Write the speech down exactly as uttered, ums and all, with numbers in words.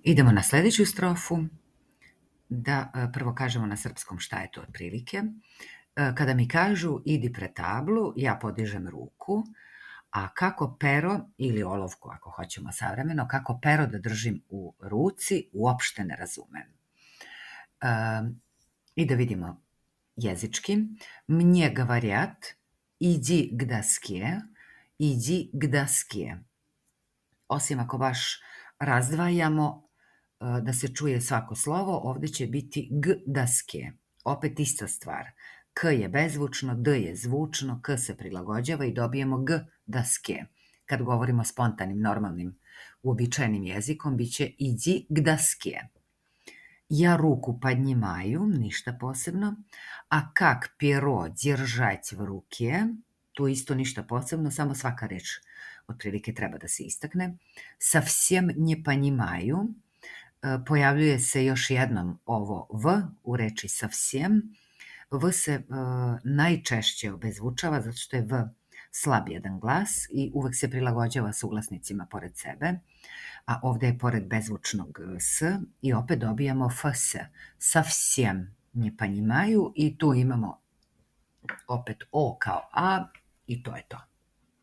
Idemo na sljedeću strofu, da e, prvo kažemo na srpskom šta je to otprilike. E, Kada mi kažu idi pred tablu, ja podižem ruku, a kako pero, ili olovku ako hoćemo savremeno, kako pero da držim u ruci, uopšte ne razumem. E, I da vidimo jezički. Mnje говорят, idi k доске, idi k доске. Osim ako baš razdvajamo e, da se čuje svako slovo, ovdje će biti g daske. Opet ista stvar. K je bezvučno, d je zvučno, k se prilagođava i dobijemo g daske. Kad govorimo spontanim, normalnim, uobičajenim jezikom, bit će idi k daske. Ja ruku поднимаю, ništa posebno. A kak pero держать в руке, tu isto ništa posebno, samo svaka reč otprilike treba da se istakne. Совсем не понимаю, pojavljuje se još jednom ovo v u reči совсем. V se uh, najčešće obezvučava zato što je v slab jedan glas i uvek se prilagođava suglasnicima pored sebe, a ovdje je pored bezvučnog s i opet dobijamo fs. Совсем не понимаю i tu imamo opet o kao a i to je to.